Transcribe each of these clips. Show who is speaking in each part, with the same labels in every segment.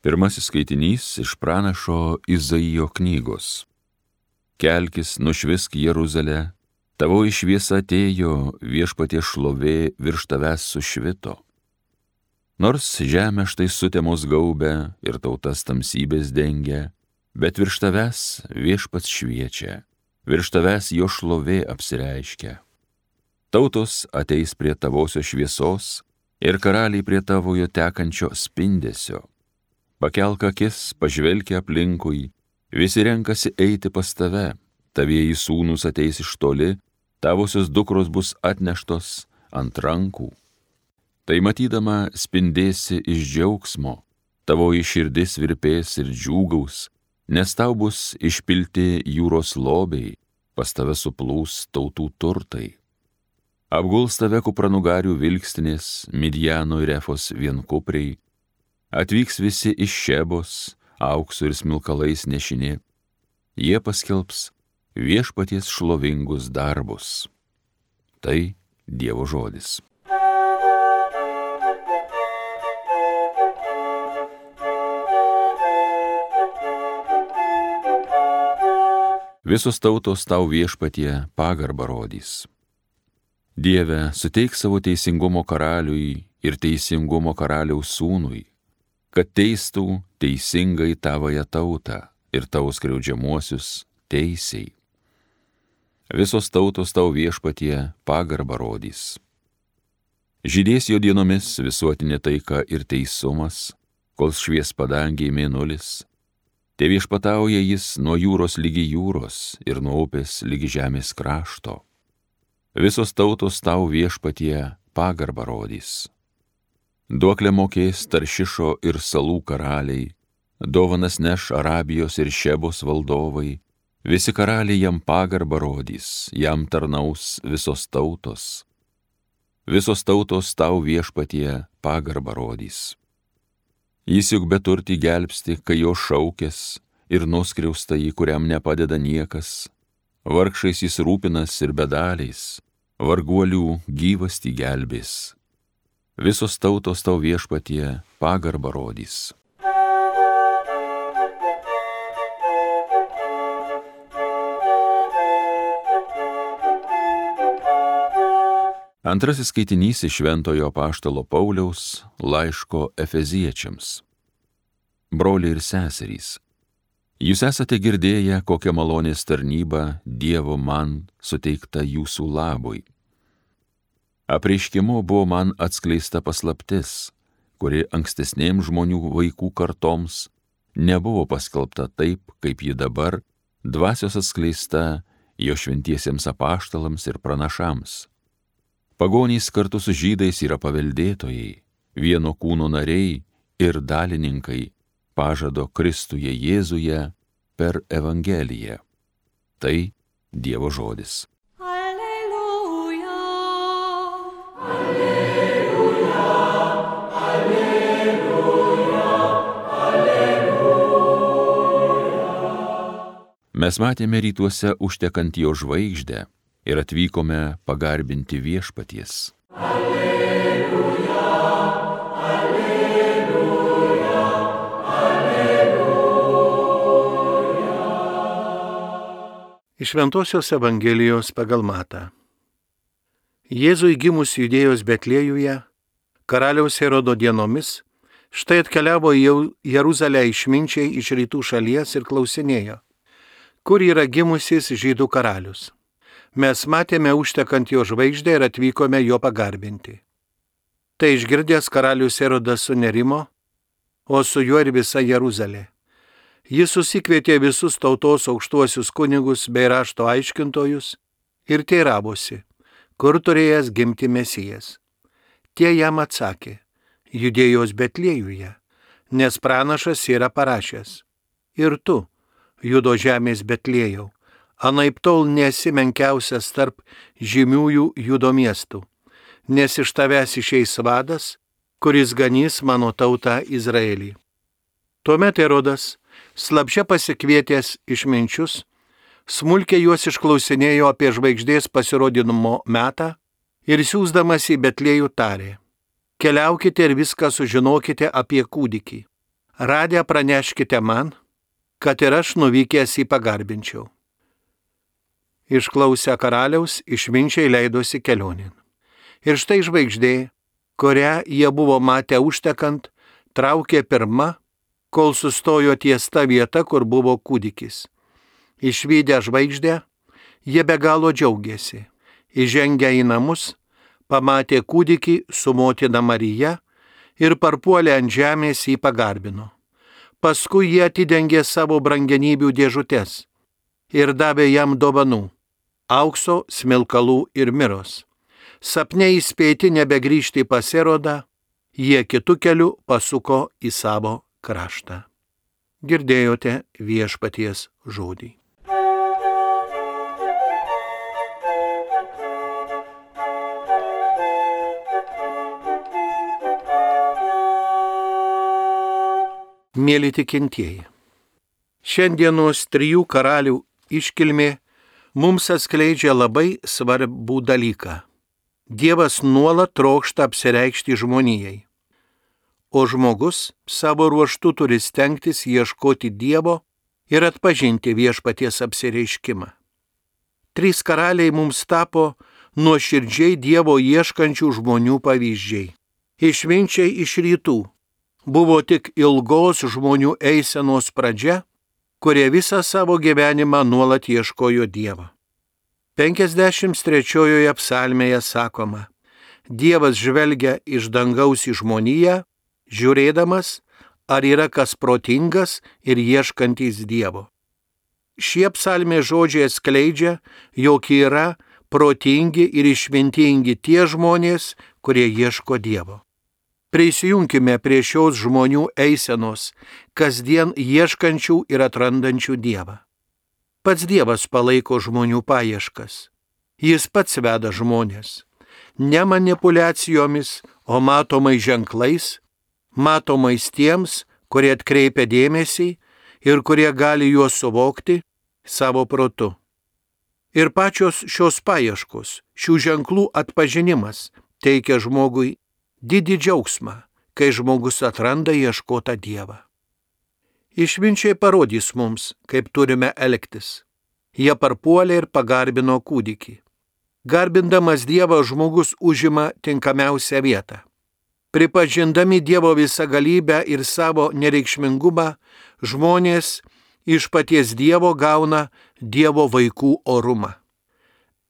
Speaker 1: Pirmasis skaitinys iš pranašo Izaijo knygos. Kelkis, nušvisk Jeruzalę, tavoji šviesa atėjo, viešpaties šlovė virš tavęs sušvito. Nors žemė štai sutemos gaubia ir tautas tamsybės dengia, bet virš tavęs viešpats šviečia, virš tavęs jo šlovė apsireiškia. Tautos ateis prie tavosios šviesos ir karaliai prie tavojo tekančio spindesio. Pakelk akis, pažvelk aplinkui, visi renkasi eiti pas tave, tavieji sūnūs ateis iš toli, tavosios dukros bus atneštos ant rankų. Tai matydama spindėsi iš džiaugsmo, tavoji širdis virpės ir džiūgaus, nes tau bus išpilti jūros lobiai, pas tave suplūs tautų turtai. Apguls tave kupranugarių vilkstinės, Midjano ir Efos vienkupriai, atvyks visi iš Šebos, auksu ir smilkalais nešini, jie paskelbs viešpaties šlovingus darbus. Tai Dievo žodis. Visos tautos tau viešpatie pagarbą rodys. Dieve, suteik savo teisingumo karaliui ir teisingumo karaliaus sūnui, kad teistų teisingai tavąją tautą ir tavo skriaudžiamuosius teisiai. Visos tautos tau viešpatie pagarbą rodys. Žydės jo dienomis visuotinė taika ir teisumas, kol švies padangiai mėnulis. Te viešpatauja jis nuo jūros lygi jūros ir nuo upės lygi žemės krašto. Visos tautos tau viešpatie pagarbą rodys. Duoklę mokės Taršišo ir salų karaliai, dovanas neš Arabijos ir Šebos valdovai, visi karaliai jam pagarbą rodys, jam tarnaus visos tautos. Visos tautos tau viešpatie pagarbą rodys. Jis juk beturtį gelbsti, kai jo šaukės, ir nuskriausta jį, kuriam nepadeda niekas. Vargšais jis rūpinas ir bedaliais, varguolių gyvastį gelbės. Visos tautos tau viešpatie pagarbą rodys. Antrasis skaitinys iš Šventojo apaštalo Pauliaus laiško Efeziečiams. Broliai ir seserys, jūs esate girdėję, kokią malonės tarnybą Dievo man suteikta jūsų labui. Apreiškimu buvo man atskleista paslaptis, kuri ankstesnėms žmonių vaikų kartoms nebuvo paskelbta taip, kaip ji dabar dvasios atskleista jo šventiesiems apaštalams ir pranašams. Pagonys kartu su žydais yra paveldėtojai, vieno kūno nariai ir dalininkai pažado Kristuje Jėzuje per Evangeliją. Tai Dievo žodis. Mes matėme rytuose užtekant jo žvaigždę ir atvykome pagarbinti viešpaties. Alleluja, alleluja, alleluja.
Speaker 2: Iš Šventosios Evangelijos pagal Matą. Jėzui gimus Judėjos Betliejuje, karaliaus Herodo dienomis, štai atkeliavo į Jeruzalę išminčiai iš rytų šalies ir klausinėjo, kur yra gimusis žydų karalius. Mes matėme užtekant jo žvaigždę ir atvykome jo pagarbinti. Tai išgirdęs karalius Herodas sunerimo, o su juo ir visa Jeruzalė. Jis susikvietė visus tautos aukštuosius kunigus bei rašto aiškintojus ir teiravosi, kur turėjęs gimti Mesijas. Tie jam atsakė, Judėjos Betliejuje, nes pranašas yra parašęs. Ir tu, Judo žemės Betliejau, anaiptol nesi menkiausias tarp žymiųjų Judo miestų, nes iš tavęs išeis vadas, kuris ganys mano tautą Izraelį. Tuomet Herodas, slapčia pasikvietęs išminčius, smulkiai juos išklausinėjo apie žvaigždės pasirodymo metą ir siųsdamas į Betliejų tarė, keliaukite ir viską sužinokite apie kūdikį. Radę praneškite man, kad ir aš nuvykęs jį pagarbinčiau. Išklausę karaliaus, išminčiai leidosi kelionin. Ir štai žvaigždė, kurią jie buvo matę užtekant, traukė pirma, kol sustojo ties ta vieta, kur buvo kūdikis. Išvydę žvaigždę, jie be galo džiaugiasi. Įžengę į namus, pamatė kūdikį su motina Marija ir parpuolę ant žemės jį pagarbino. Paskui jie atidengė savo brangenybių dėžutes ir davė jam dovanų - aukso, smilkalų ir miros. Sapne įspėti nebegrįžti pas Erodą, jie kitu keliu pasuko į savo kraštą. Girdėjote viešpaties žodį. Mėly tikintieji, šiandienos 3 karalių iškilmė mums atskleidžia labai svarbų dalyką. Dievas nuolat trokšta apsireikšti žmonijai, o žmogus savo ruožtu turi stengtis ieškoti Dievo ir atpažinti viešpaties apsireiškimą. 3 karaliai mums tapo nuoširdžiai Dievo ieškančių žmonių pavyzdžiai. Išminčiai iš rytų buvo tik ilgos žmonių eisenos pradžia, kurie visą savo gyvenimą nuolat ieškojo Dievo. 53 psalmėje sakoma, Dievas žvelgia iš dangaus į žmoniją, žiūrėdamas, ar yra kas protingas ir ieškantis Dievo. Šie psalmės žodžiai atskleidžia, jog yra protingi ir išmintingi tie žmonės, kurie ieško Dievo. Prisijunkime prie šios žmonių eisenos, kasdien ieškančių ir atrandančių Dievą. Pats Dievas palaiko žmonių paieškas. Jis pats veda žmonės. Ne manipulacijomis, o matomais ženklais, matomais tiems, kurie atkreipia dėmesį ir kurie gali juos suvokti savo protu. Ir pačios šios paieškos, šių ženklų atpažinimas teikia žmogui didį džiaugsmą, kai žmogus atranda ieškotą Dievą. Išminčiai parodys mums, kaip turime elgtis. Jie parpuolė ir pagarbino kūdikį. Garbindamas Dievą žmogus užima tinkamiausią vietą. Pripažindami Dievo visagalybę ir savo nereikšmingumą, žmonės iš paties Dievo gauna Dievo vaikų orumą.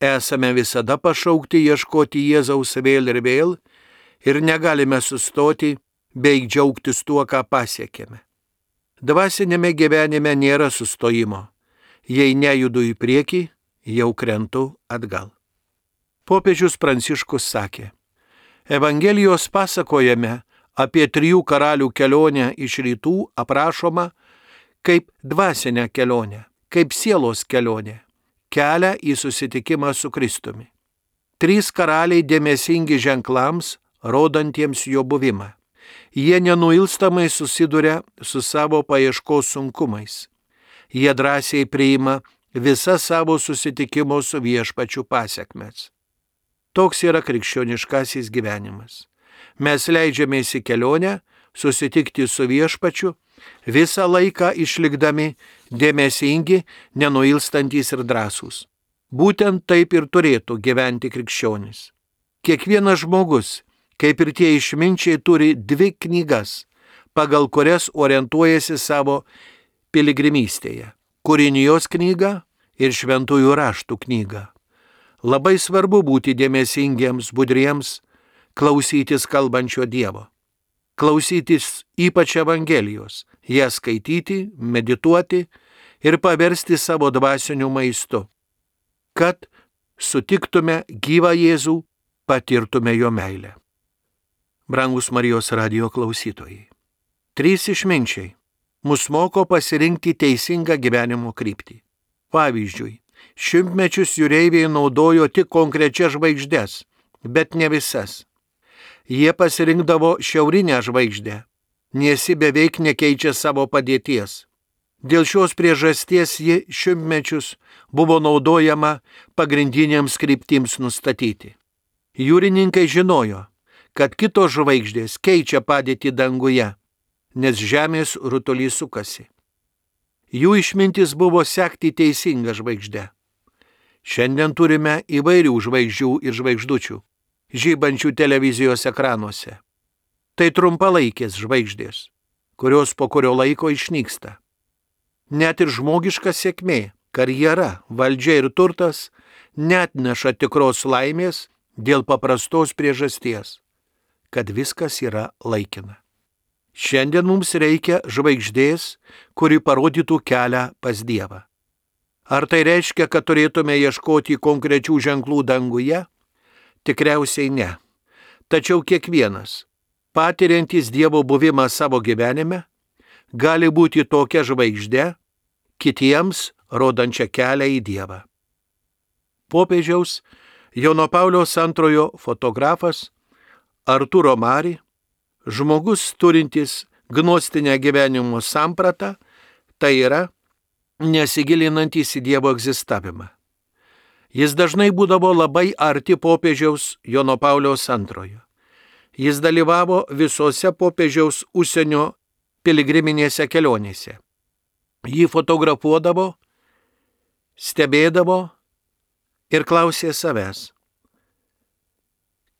Speaker 2: Esame visada pašaukti ieškoti Jėzaus vėl ir vėl ir negalime sustoti bei džiaugtis tuo, ką pasiekėme. Dvasinėme gyvenime nėra sustojimo. Jei nejudu į priekį, jau krentu atgal. Popiežius Pranciškus sakė, Evangelijos pasakojame apie 3 karalių kelionę iš rytų aprašoma kaip dvasinę kelionę, kaip sielos kelionę, kelią į susitikimą su Kristumi. 3 karaliai dėmesingi ženklams, rodantiems jo buvimą. Jie nenuilstamai susiduria su savo paieškos sunkumais. Jie drąsiai priima visas savo susitikimo su viešpačiu pasekmes. Toks yra krikščioniškasis gyvenimas. Mes leidžiamės į kelionę, susitikti su viešpačiu, visą laiką išlikdami dėmesingi, nenuilstantys ir drąsūs. Būtent taip ir turėtų gyventi krikščionis. Kiekvienas žmogus, kaip ir tie išminčiai, turi 2 knygas, pagal kurias orientuojasi savo piligrimystėje – Kūrinijos knyga ir Šventųjų raštų knyga. Labai svarbu būti dėmesingiems, budriems, klausytis kalbančio Dievo. Klausytis ypač Evangelijos, ją skaityti, medituoti ir paversti savo dvasiniu maistu, kad sutiktume gyvą Jėzų, patirtume jo meilę. Brangus Marijos radijo klausytojai, 3 išminčiai mus moko pasirinkti teisingą gyvenimo kryptį. Pavyzdžiui, šimtmečius jūreiviai naudojo tik konkrečias žvaigždes, bet ne visas. Jie pasirinkdavo šiaurinę žvaigždę, nes ji beveik nekeičia savo padėties. Dėl šios priežasties ji šimtmečius buvo naudojama pagrindiniams kryptims nustatyti. Jūrininkai žinojo, kad kitos žvaigždės keičia padėtį danguje. nes žemės rutulys sukasi. Jų išmintis buvo sekti teisingą žvaigždę. Šiandien turime įvairių žvaigždžių ir žvaigždučių, žybančių televizijos ekranuose. Tai trumpalaikės žvaigždės, kurios po kurio laiko išnyksta. Net ir žmogiška sėkmė, karjera, valdžia ir turtas neatneša tikros laimės dėl paprastos priežasties, kad viskas yra laikina. Šiandien mums reikia žvaigždės, kuri parodytų kelią pas Dievą. Ar tai reiškia, kad turėtume ieškoti konkrečių ženklų danguje? Tikriausiai ne. Tačiau kiekvienas, patiriantis Dievo buvimą savo gyvenime, gali būti tokia žvaigždė, kitiems rodančia kelią į Dievą. Popiežiaus Jono Pauliaus II fotografas Arturo Mari, žmogus turintis gnostinę gyvenimo sampratą, tai yra nesigilinantis į Dievo egzistavimą. Jis dažnai būdavo labai arti popiežiaus Jono Pauliaus II. Jis dalyvavo visose popiežiaus užsienio piligriminėse kelionėse. Jį fotografuodavo, stebėdavo ir klausė savęs,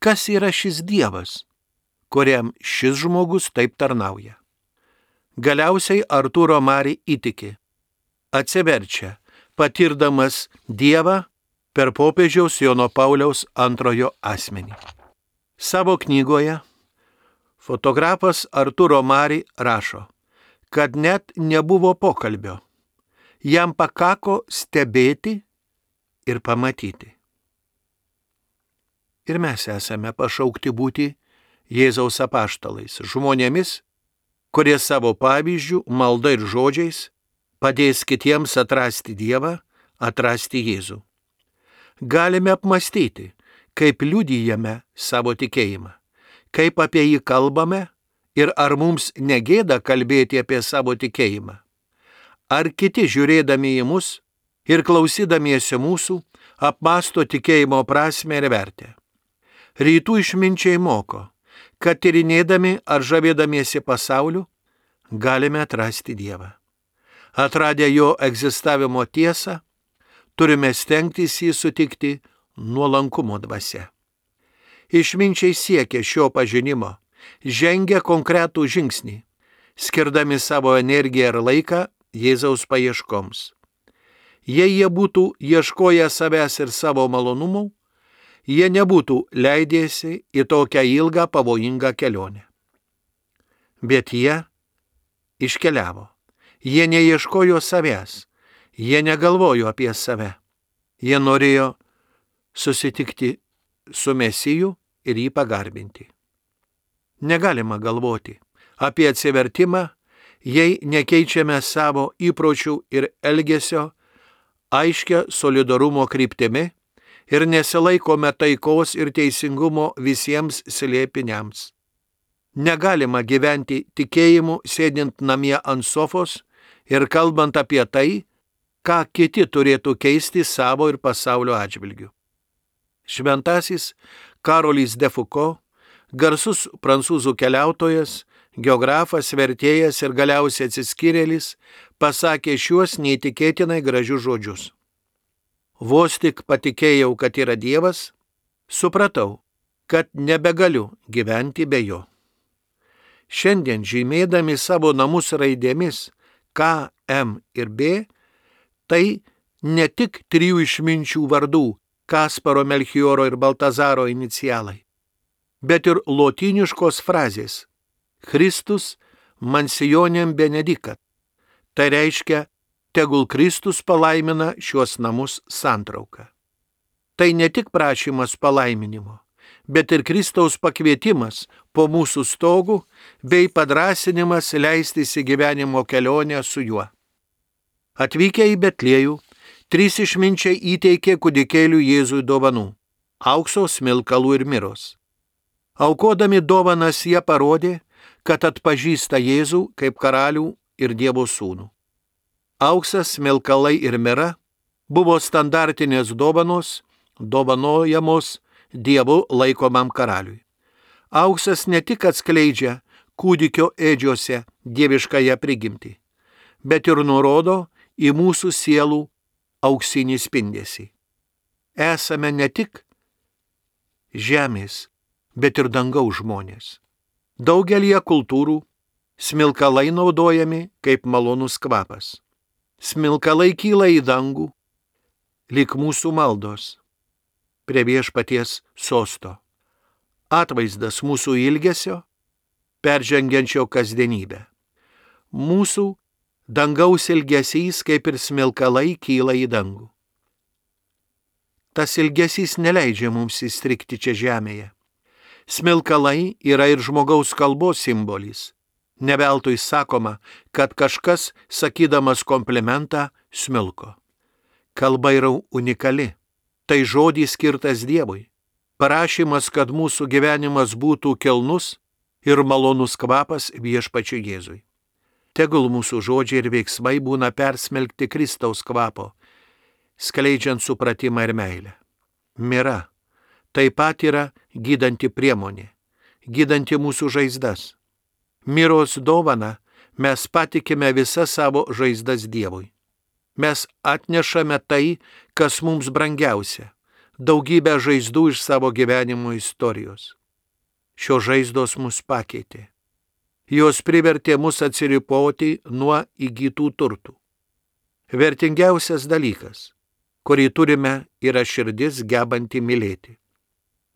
Speaker 2: kas yra šis Dievas, kuriam šis žmogus taip tarnauja. Galiausiai Arturo Mari įtiki, atsiverčia, patirdamas Dievą per popiežiaus Jono Pauliaus II asmenį. Savo knygoje fotografas Arturo Mari rašo, kad net nebuvo pokalbio, jam pakako stebėti ir pamatyti. Ir mes esame pašaukti būti Jėzaus apaštalais, žmonėmis, kurie savo pavyzdžių, malda ir žodžiais padės kitiems atrasti Dievą, atrasti Jėzų. Galime apmastyti, kaip liudijame savo tikėjimą, kaip apie jį kalbame ir ar mums negėda kalbėti apie savo tikėjimą. Ar kiti žiūrėdami į mus ir klausydamiesi mūsų apmąsto tikėjimo prasmę ir vertę. Rytų išminčiai moko, kad tyrinėdami ar žavėdamiesi pasauliu galime atrasti Dievą. Atradę jo egzistavimo tiesą, turime stengtis jį sutikti nuolankumo dvasia. Išminčiai siekia šio pažinimo, žengia konkretų žingsnį, skirdami savo energiją ir laiką Jėzaus paieškoms. Jei jie būtų ieškoję savęs ir savo malonumų, jie nebūtų leidėsi į tokią ilgą pavojingą kelionę. Bet jie iškeliavo. Jie neieškojo savęs, jie negalvojo apie save. Jie norėjo susitikti su Mesiju ir jį pagarbinti. Negalima galvoti apie atsivertimą, jei nekeičiame savo įpročių ir elgesio aiškia solidarumo kryptimi ir nesilaikome taikos ir teisingumo visiems slėpiniams. Negalima gyventi tikėjimu sėdint namie ant sofos ir kalbant apie tai, ką kiti turėtų keisti savo ir pasaulio atžvilgiu. Šventasis Karolis de Foucault, garsus prancūzų keliautojas, geografas, vertėjas ir galiausiai atsiskyrėlis, pasakė šiuos neįtikėtinai gražius žodžius. Vos tik patikėjau, kad yra Dievas, supratau, kad nebegaliu gyventi be jo. Šiandien žymėdami savo namus raidėmis K, M ir B, tai ne tik trijų išminčių vardų Kasparo, Melchioro ir Baltazaro inicialai, bet ir lotyniškos frazės Christus mansionem benedicat. Tai reiškia, tegul Kristus palaimina šiuos namus santrauką. Tai ne tik prašymas palaiminimo, bet ir Kristaus pakvietimas po mūsų stogų bei padrąsinimas leistis į gyvenimo kelionę su juo. Atvykę į Betliejų, 3 išminčiai įteikė kūdikėliui Jėzui dovanų – aukso, smilkalų ir miros. Aukodami dovanas jie parodė, kad atpažįsta Jėzų kaip karalių ir Dievo sūnų. Auksas, smilkalai ir mira buvo standartinės dovanos, dovanojamos Dievu laikomam karaliui. Auksas ne tik atskleidžia kūdikio ėdžiose dieviškąją prigimtį, bet ir nurodo į mūsų sielų auksinį spindesį. Esame ne tik žemės, bet ir dangaus žmonės. Daugelie kultūrų smilkalai naudojami kaip malonus kvapas. Smilkalai kyla į dangų, lyg mūsų maldos, prie viešpaties sosto. Atvaizdas mūsų ilgesio, peržengiančio kasdienybę. Mūsų dangaus ilgesys, kaip ir smilkalai, kyla į dangų. Tas ilgesys neleidžia mums įstrigti čia žemėje. Smilkalai yra ir žmogaus kalbos simbolis. Ne veltui sakoma, kad kažkas, sakydamas komplimentą, smilko. Kalba yra unikali. Tai žodis skirtas Dievui. Parašymas, kad mūsų gyvenimas būtų kilnus ir malonus kvapas viešpačiui Jėzui. Tegul mūsų žodžiai ir veiksmai būna persmelkti Kristaus kvapo, skleidžiant supratimą ir meilę. Mira taip pat yra gydanti priemonė, gydanti mūsų žaizdas. Miros dovana mes patikime visas savo žaizdas Dievui. Mes atnešame tai, kas mums brangiausia, daugybę žaizdų iš savo gyvenimo istorijos. Šios žaizdos mus pakeitė. Jos privertė mus atsiriboti nuo įgytų turtų. Vertingiausias dalykas, kurį turime, yra širdis gebanti mylėti.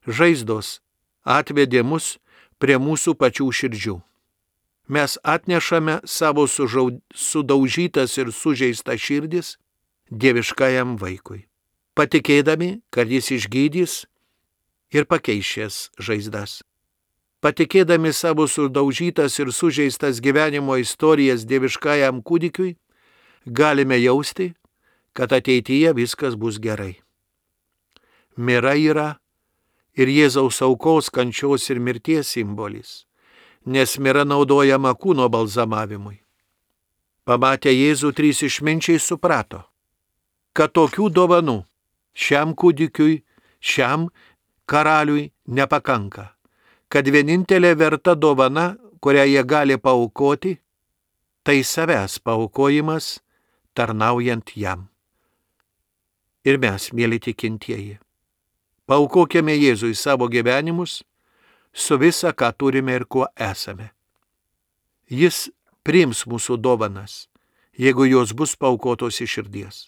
Speaker 2: Žaizdos atvedė mus prie mūsų pačių širdžių. Mes atnešame savo sudaužytas ir sužeistas širdis dieviškajam vaikui, patikėdami, kad jis išgydys ir pakeis šias žaizdas. Patikėdami savo sudaužytas ir sužeistas gyvenimo istorijas dieviškajam kūdikiui, galime jausti, kad ateityje viskas bus gerai. Mira yra ir Jėzaus aukos, kančios ir mirties simbolis, nes mira naudojama kūno balzamavimui. Pamatę Jėzų, trys išminčiai suprato, kad tokių dovanų šiam kūdikiui, šiam karaliui nepakanka, kad vienintelė verta dovana, kurią jie gali paaukoti, tai savęs paaukojimas tarnaujant jam. Ir mes, mėly tikintieji, paaukokime Jėzui savo gyvenimus su visa, ką turime ir kuo esame. Jis priims mūsų dovanas, jeigu jos bus paaukotos iš širdies.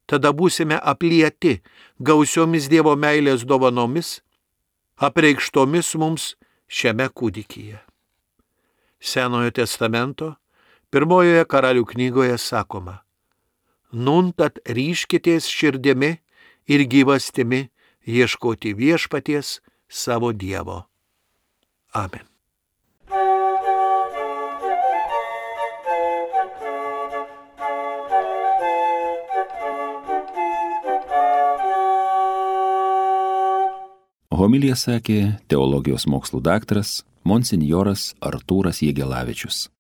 Speaker 2: Tada būsime aplieti gausiomis Dievo meilės dovanomis, apreikštomis mums šiame kūdikyje. Senojo testamento 1 Karalių knygoje sakoma: Nun tad ryškitės širdimi ir gyvastimi ieškoti viešpaties savo Dievo. Amen.
Speaker 1: Homiliją sakė teologijos mokslų daktaras monsinjoras Artūras Jegelavičius.